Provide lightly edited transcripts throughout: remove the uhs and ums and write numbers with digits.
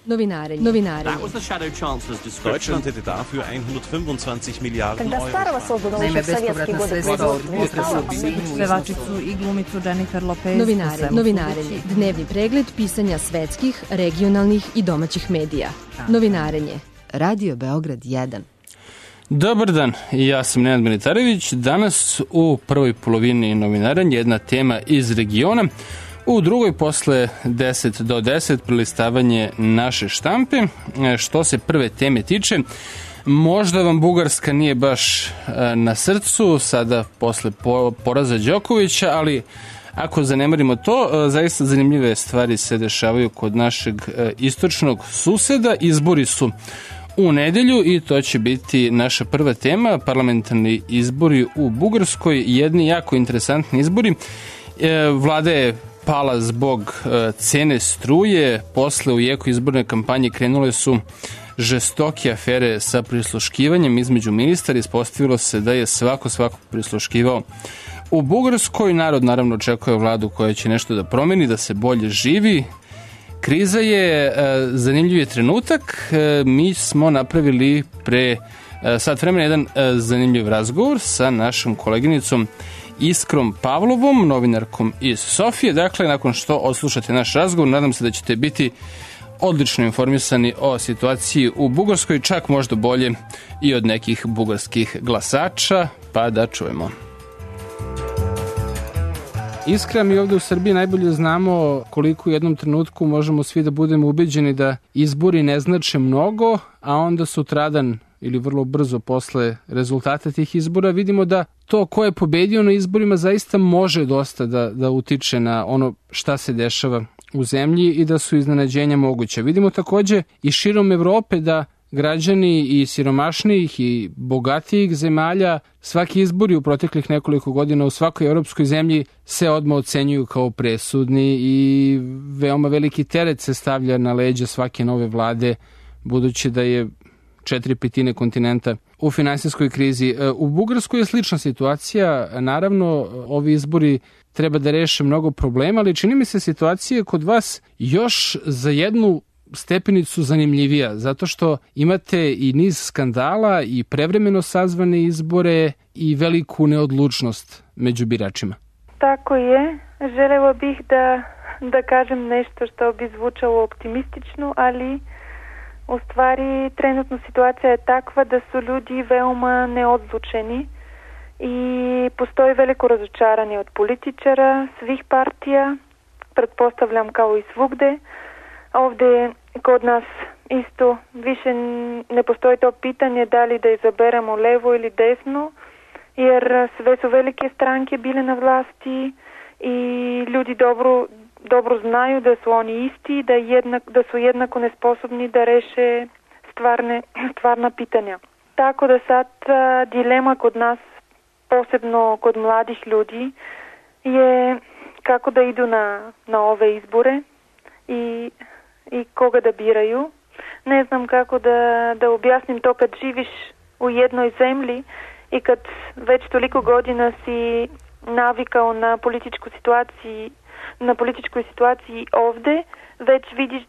Novinarenje. That was the Shadow Chancellor's description. Deutschland hätte dafür 125 Miliarden Когда старого создано еще в советские годы Pevačicu i glumicu Jennifer Lopez. Novinarenje. Dnevni pregled pisanja svetskih, regionalnih i domaćih medija. Novinarenje. Radio Beograd 1. Dobar dan, ja sam Nenad Militarević. Danas u prvoj polovini novinaranja jedna tema iz regiona. U drugoj posle 10 do 10 prelistavanje naše štampe. Što se prve teme tiče, možda vam Bugarska nije baš na srcu sada posle poraza Đokovića, ali ako zanemarimo to, zaista zanimljive stvari se dešavaju kod našeg istočnog suseda. Izbori su u nedelju i to će biti naša prva tema, parlamentarni izbori u Bugarskoj, jedni jako interesantni izbori. Vlada je pala zbog cene struje, posle u jeku izborne kampanje krenule su žestoke afere sa prisluškivanjem između ministara, ispostavilo se da je svako prisluškivao. U Bugarskoj narod naravno očekuje vladu koja će nešto da promeni, da se bolje živi. Kriza je zanimljiv je trenutak. Mi smo napravili pre sat vremena jedan zanimljiv razgovor sa našom koleginicom Iskrom Pavlovom, novinarkom iz Sofije. Dakle, nakon što odslušate naš razgovor, nadam se da ćete biti odlično informisani o situaciji u Bugarskoj, čak možda bolje i od nekih bugarskih glasača, pa da čujemo. Iskra, mi ovde u Srbiji najbolje znamo koliko u jednom trenutku možemo svi da budemo ubeđeni da izbori ne znače mnogo, a onda sutradan ili vrlo brzo posle rezultata tih izbora vidimo da to ko je pobedio na izborima zaista može dosta da utiče na ono šta se dešava u zemlji i da su iznenađenja moguća. Vidimo takođe i širom Evrope da građani i siromašnijih i bogatijih zemalja svaki izbori u proteklih nekoliko godina u svakoj evropskoj zemlji se odmah ocenjuju kao presudni i veoma veliki teret se stavlja na leđa svake nove vlade, budući da je 4/5 kontinenta u finansijskoj krizi. U Bugarskoj je slična situacija. Naravno, ovi izbori treba da reše mnogo problema, ali čini mi se situacija kod vas još za jednu stepenicu zanimljivija, zato što imate i niz skandala i prevremeno sazvane izbore i veliku neodlučnost među biračima. Tako je. Želela bih da kažem nešto što bi zvučalo optimistično, ali u stvari trenutno situacija je takva da su ljudi veoma neodlučeni i postoji veliko razočaranje od političara, svih partija, pretpostavljam kao i svugde. Ovde kod nas isto više ne postoji to pitanje da li da izaberemo levo ili desno, jer sve su velike stranke bile na vlasti i ljudi dobro znaju da su oni isti, da su jednako nesposobni da reše stvarna pitanja. Tako da sad dilema kod nas, posebno kod mladih ljudi, je kako da idu na ove izbore i koga da biraju. Ne znam kako da objasnim to kad živiš u jednoj zemlji i kad već toliko godina si navikao na političkoj situaciji ovde, već vidiš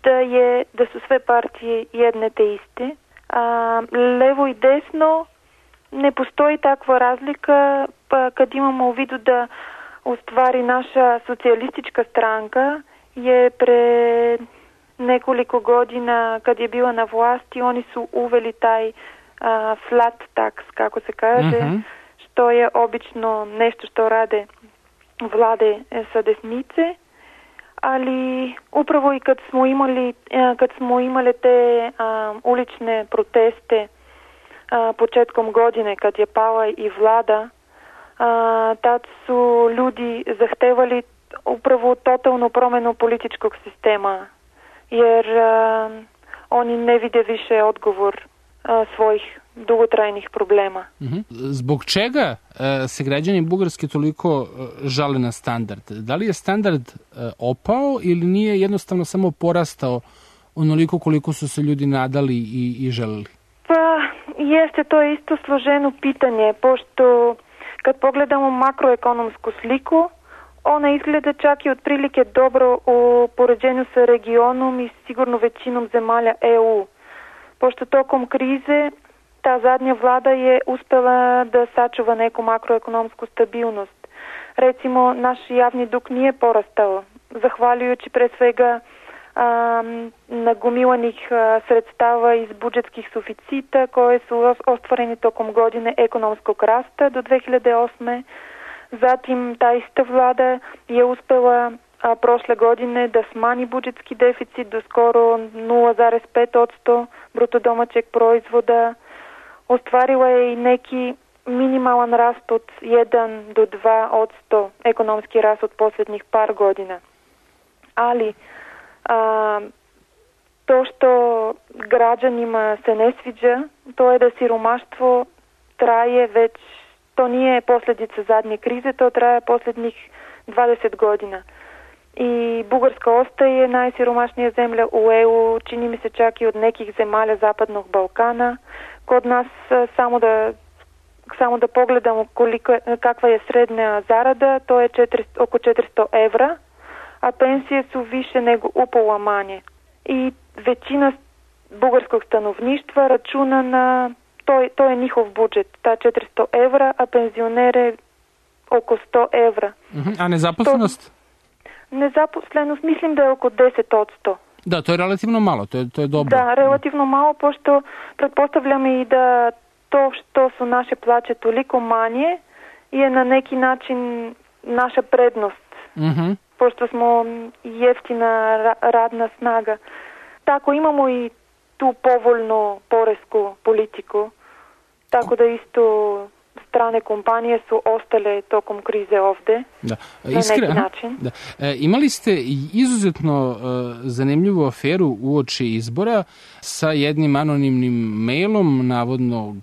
da su sve partije jedne te iste. Levo i desno ne postoji takva razlika, pa kad imamo u vidu da u stvari naša socijalistička stranka je pre nekoliko godina kad je bila na vlasti, oni su uveli taj flat tax, kako se kaže, što je obično nešto što rade vlade sa desnice, ali upravo i kad smo imali te ulične proteste početkom godine kad je pala i vlada, tad su ljudi zahtevali upravo totalnu promenu političkog sistema, jer oni ne vide više odgovor svojih dugotrajnih problema. Zbog čega se građani Bugarske toliko žale na standard? Da li je standard opao ili nije jednostavno samo porastao onoliko koliko su se ljudi nadali i želeli? Pa jeste, to je isto složeno pitanje, pošto kad pogledamo makroekonomsku sliku, ona izgleda čak i otprilike dobro u poređenju sa regionom i sigurno većinom zemalja EU. Pošto tokom krize ta zadnja vlada je uspela da sačuva neku makroekonomsku stabilnost. Recimo, naš javni dug nije porastao, zahvaljujući pre svega nagomilanih sredstava iz budžetskih suficita koje su ostvareni tokom godine ekonomskog rasta do 2008. Zatim ta ista vlada je uspela prošle godine da smanji budžetski deficit do skoro 0,5% bruto domaćeg proizvoda. Ostvarila je i neki minimalan rast od 1 do 2% ekonomski rast od posljednjih par godina. Ali to što građanima se ne sviđa, to je da siromaštvo traje već, to nije posljedica zadnje krize, to traje posljednjih 20 godina. I Bugarska ostaje najsiromašnija zemlja u EU, čini mi se čak i od nekih zemalja Zapadnog Balkana. Kod nas samo da pogledamo kakva je srednja zarada, to je oko 400 evra, a pensije su više nego upola manje. I većina bugarskog stanovništva računa na, to je njihov budžet, ta 400 evra, a penzionere oko 100 evra. A nezaposlenost? Nezaposlenost mislim da je oko 10%. Da, to je relativno malo, to je dobro. Da, relativno malo, pošto pretpostavljam i da to što su naše plaće toliko manje je na neki način naša prednost. Pošto smo jeftina radna snaga. Tako imamo i tu povoljnu poresku politiku, tako da isto strane kompanije su ostale tokom krize ovde na neki način. Da. Imali ste izuzetno zanimljivu aferu uoči izbora sa jednim anonimnim mailom navodnog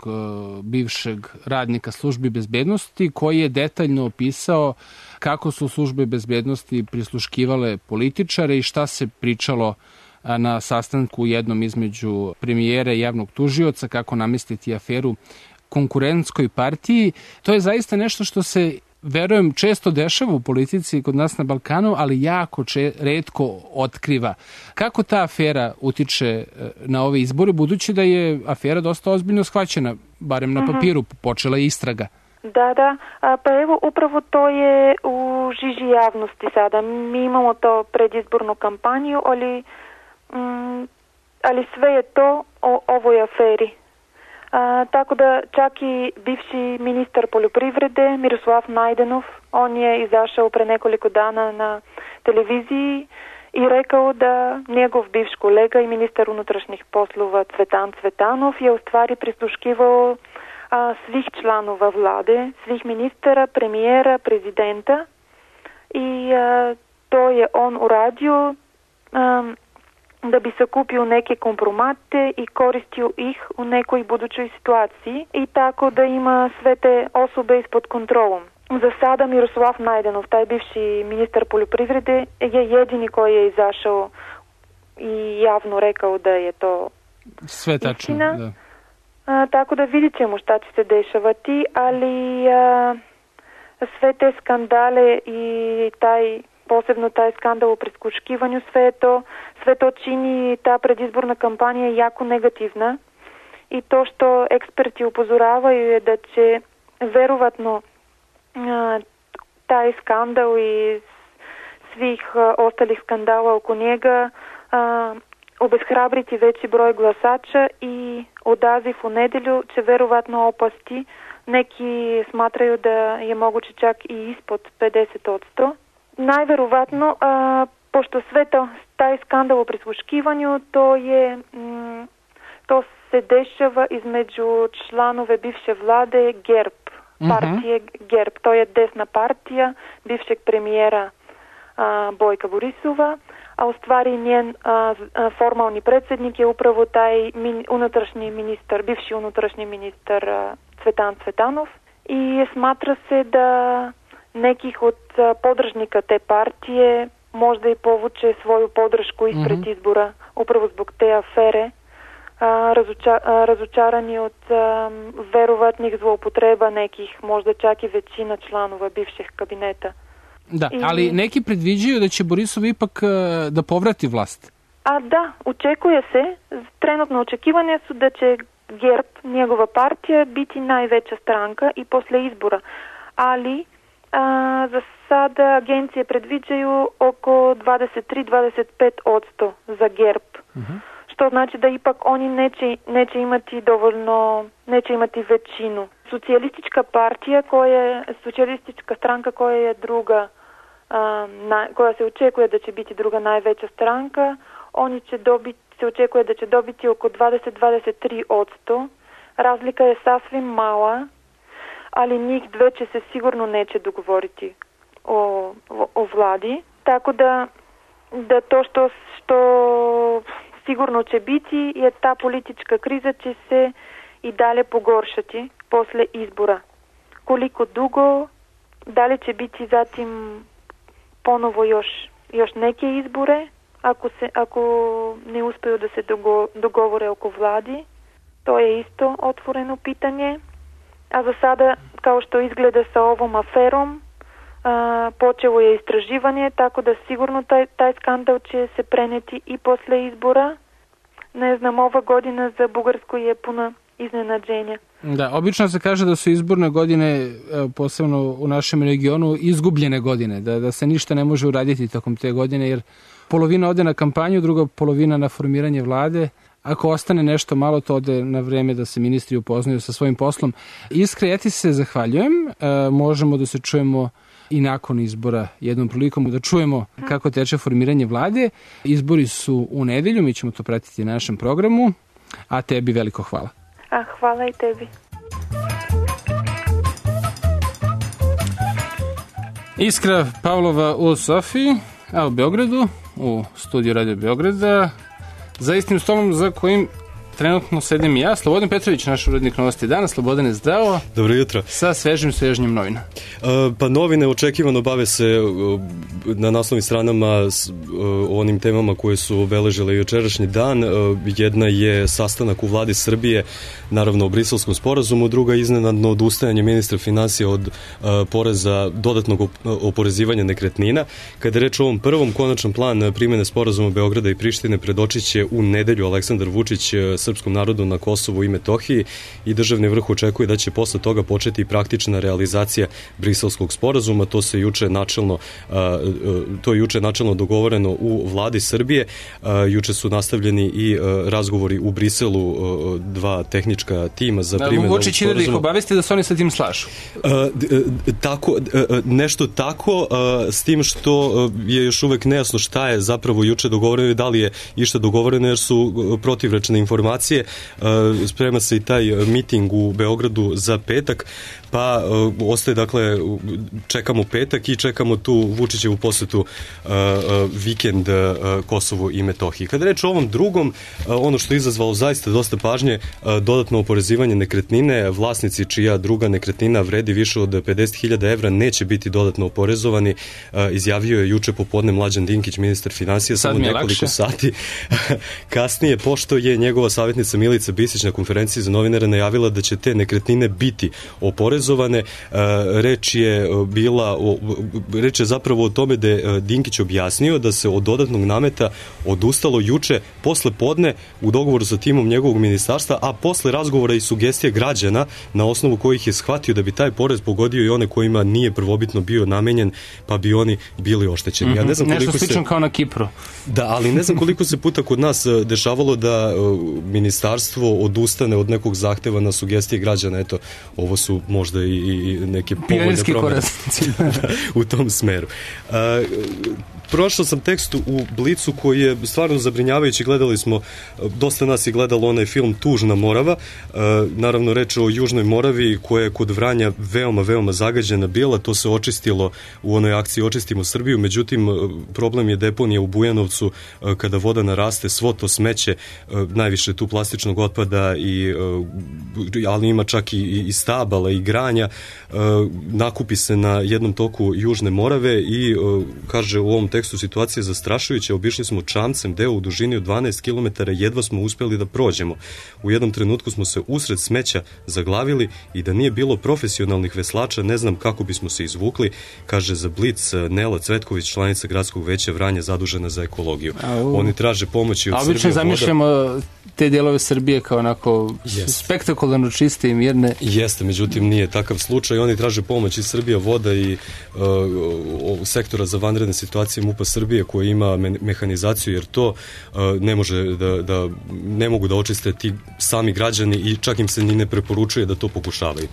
bivšeg radnika službi bezbednosti koji je detaljno opisao kako su službe bezbednosti prisluškivale političare i šta se pričalo na sastanku jednom između premijera i javnog tužioca, kako namestiti aferu konkurentskoj partiji. To je zaista nešto što se, verujem, često dešava u politici kod nas na Balkanu, ali jako retko otkriva. Kako ta afera utiče na ove izbore, budući da je afera dosta ozbiljno shvaćena, barem na papiru, počela je istraga? Da, pa evo upravo to je u žiži javnosti sada. Mi imamo to predizbornu kampanju, ali sve je to o ovoj aferi. Tako da čak i bivši ministar poljoprivrede Miroslav Najdenov, on je izašao pre nekoliko dana na televiziji i rekao da njegov bivš kolega i ministar unutrašnjih poslova Cvetan Cvetanov je u stvari prisluškivao svih članova vlade, svih ministara, premijera, prezidenta i to je on uradio da bi sakupio neke kompromate i koristio ih u nekoj budućoj situaciji i tako da ima sve te osobe ispod kontrolom. Za sada Miroslav Najdenov, taj bivši ministar poljoprivrede, je jedini koji je izašao i javno rekao da je to sve tačno, istina. Da. Tako da vidjet ćemo šta će se dešavati, ali sve te skandale i posebno taj skandal u prisluškivanju, sve to čini ta predizborna kampanja jako negativna i to što eksperti upozoravaju je da će verovatno taj skandal i svih ostalih skandala oko njega obeshrabriti veći broj glasača i odaziv u nedelju će verovatno opasti. Neki smatraju da je moguće čak i ispod 50%. Najverovatno, pošto sve taj skandal u prisluškivanju, to se dešava između članove bivše vlade GERB, partije GERB, to je desna partija bivšeg premijera Bojka Borisova, a u stvari njen formalni predsjednik je upravo taj unutrašnji ministar, bivši unutrašnji ministar Cvetan Cvetanov i smatra se da nekih od podržnika te partije možda i povuče svoju podršku ispred izbora upravo zbog te afere, razočarani od verovatnih zloupotreba nekih, možda čak i većina članova bivšeg kabineta. Da, ali neki predviđaju da će Borisov ipak da povrati vlast. A da, očekuje se, trenutno očekivanja su da će GERB, njegova partija, biti najveća stranka i posle izbora. Ali za sada agencije predviđaju oko 23-25% za GERB. Što znači da ipak oni neće imati dovoljno, neće imati većinu. Socijalistička partija, socijalistička stranka koja je druga, koja se očekuje da će biti druga najveća stranka, oni će dobiti, se očekuje da će dobiti oko 20-23%. Razlika je sasvim mala, ali njih dve će se sigurno neće dogovoriti o vladi. Tako da to što sigurno će biti je ta politička kriza će se i dalje pogoršati posle izbora. Koliko dugo, da li će biti zatim ponovo još neke izbore, ako ne uspeju da se dogovore oko vladi, to je isto otvoreno pitanje. A za sada, kao što izgleda sa ovom aferom, počelo je istraživanje, tako da sigurno taj skandal će se preneti i posle izbora. Ne znam, ova godina za Bugarsku je puna iznenađenja. Da, obično se kaže da su izborne godine, posebno u našem regionu, izgubljene godine, da se ništa ne može uraditi tokom te godine, jer polovina ode na kampanju, druga polovina na formiranje vlade. Ako ostane nešto malo, to ode na vreme da se ministri upoznaju sa svojim poslom. Iskra, ja ti se zahvaljujem. Možemo da se čujemo i nakon izbora jednom prilikom, da čujemo kako teče formiranje vlade. Izbori su u nedelju, mi ćemo to pratiti na našem programu, a tebi veliko hvala. Hvala i tebi. Iskra Pavlova u Sofiji, a u Beogradu, u studiju Radio Beograda, za istim stolom za kojim trenutno sedim i ja, Slobodan Petrović, naš urednik Novosti dana. Slobodane, zdravo. Dobro jutro. Sa svežnjim novina. Pa novine očekivano bave se na naslovnim stranama o onim temama koje su obeležile jučerašnji dan. Jedna je sastanak u vladi Srbije, naravno o Briselskom sporazumu, druga iznenadno odustajanje ministra finansija od poreza dodatnog oporezivanja nekretnina. Kada je reč o ovom prvom, konačan plan primene sporazuma Beograda i Prištine predočit će u nedelju Aleksandar Vučić srpskom narodu na Kosovu i Metohiji i državni vrh očekuje da će posle toga početi i praktična realizacija Briselskog sporazuma. To je juče načelno dogovoreno u vladi Srbije. Juče su nastavljeni i razgovori u Briselu dva tehnička tima za primenu ovog sporazuma. Vučić ide da ih obavesti da se oni sa tim slažu. Nešto tako, s tim što je još uvek nejasno šta je zapravo juče dogovoreno i da li je išta dogovoreno, jer su protivrečne informacije. Sprema se i taj miting u Beogradu za petak, pa ostaje, dakle, čekamo petak i čekamo tu Vučićevu posetu vikend Kosovu i Metohiji. Kada reč o ovom drugom, ono što je izazvalo zaista dosta pažnje, dodatno oporezivanje nekretnine, vlasnici čija druga nekretnina vredi više od 50.000 evra neće biti dodatno oporezovani, izjavio je juče popodne Mlađan Dinkić, ministar finansija, samo nekoliko sati kasnije, pošto je njegova savjetnica Milica Bisić na konferenciji za novinare najavila da će te nekretnine biti oporezovane. Reč je zapravo o tome da je Dinkić objasnio da se od dodatnog nameta odustalo juče posle podne u dogovoru sa timom njegovog ministarstva, a posle razgovora i sugestija građana na osnovu kojih je shvatio da bi taj porez pogodio i one kojima nije prvobitno bio namenjen, pa bi oni bili oštećeni. Ja ne znam nešto slično kao na Kipru. Da, ali ne znam koliko se puta kod nas dešavalo da ministarstvo odustane od nekog zahteva na sugestije građana. Eto, ovo su možda i neke povoljne promene u tom smeru. Prošao sam tekst u Blicu koji je stvarno zabrinjavajući. Gledali smo, dosta nas je gledalo onaj film Tužna Morava. Naravno, reč o Južnoj Moravi koja je kod Vranja veoma zagađena bila. To se očistilo u onoj akciji Očistimo Srbiju. Međutim, problem je deponija u Bujanovcu. Kada voda naraste, svo to smeće, najviše tu plastičnog otpada, ali ima čak i stabala i granja, nakupi se na jednom toku Južne Morave i kaže u ovom tekstu situacija je zastrašujuća. Obišli smo čamcem deo u dužini od 12 km, jedva smo uspjeli da prođemo. U jednom trenutku smo se usred smeća zaglavili i da nije bilo profesionalnih veslača, ne znam kako bismo se izvukli, kaže za Blic Nela Cvetković, članica Gradskog veća Vranja zadužena za ekologiju. Oni traže pomoći od Srbije. Obično zamišljamo te dijelove Srbije kao onako spektakularno čiste i mirne. Jeste, međutim nije takav slučaj. Oni traže pomoć iz Srbija voda i sektora za vanredne situacije MUP-a Srbije koji ima mehanizaciju, jer to ne mogu da očiste ti sami građani i čak im se ni ne preporučuje da to pokušavaju.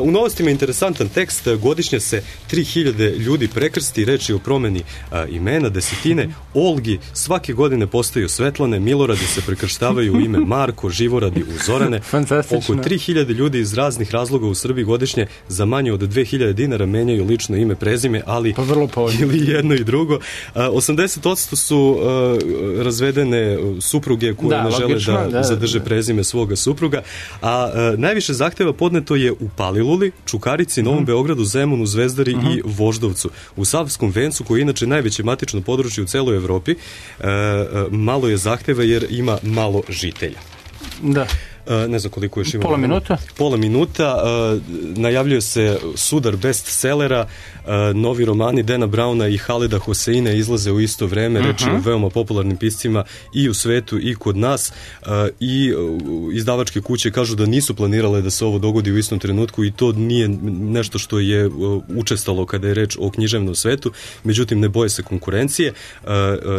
U novostima je interesantan tekst. Godišnje se 3000 ljudi prekrsti, reč je o promeni imena, desetine Olgi svake godine postaju Svetlane, Miloradi se prekrštavaju u ime Marko, Živoradi u Zorane. Oko 3000 ljudi iz raznih razloga u Srbiji godišnje za manje od 2000 dinara menjaju lično ime, prezime, ali ili jedno i drugo. 80% su razvedene supruge koje ne žele da zadrže prezime svoga supruga, a najviše zahteva podneto je u Paliluli, Čukarici, Novom Beogradu, Zemunu, Zvezdari i Voždovcu. U Savskom vencu, koji je inače najveće matično područje u celoj Evropi, malo je zahteva jer ima malo žitelja. Da. Ne znam koliko još ima. Pola minuta. Najavljuje se sudar bestsellera. Novi romani Dana Brauna i Haleda Hoseina izlaze u isto vreme. Reč je o veoma popularnim piscima i u svetu i kod nas. I izdavačke kuće kažu da nisu planirale da se ovo dogodi u istom trenutku i to nije nešto što je učestalo kada je reč o književnom svetu. Međutim, ne boje se konkurencije.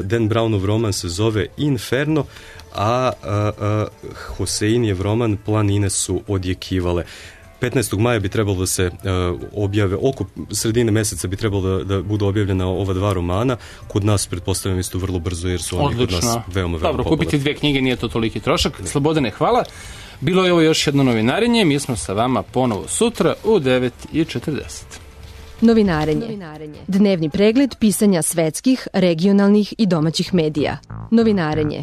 Dan Brownov roman se zove Inferno, a Hoseinjev roman Planine su odjekivale. 15. maja bi trebalo da se objave, oko sredine meseca bi trebalo da budu objavljena ova dva romana. Kod nas, pretpostavljam, isto vrlo brzo, jer su oni kod nas veoma popularni. Dobro, kupiti 2 knjige nije to toliki trošak. Slobodane, hvala. Bilo je ovo još jedno novinarenje. Mi smo sa vama ponovo sutra u 9:40. Novinarenje. Dnevni pregled pisanja svetskih, regionalnih i domaćih medija. Novinarenje.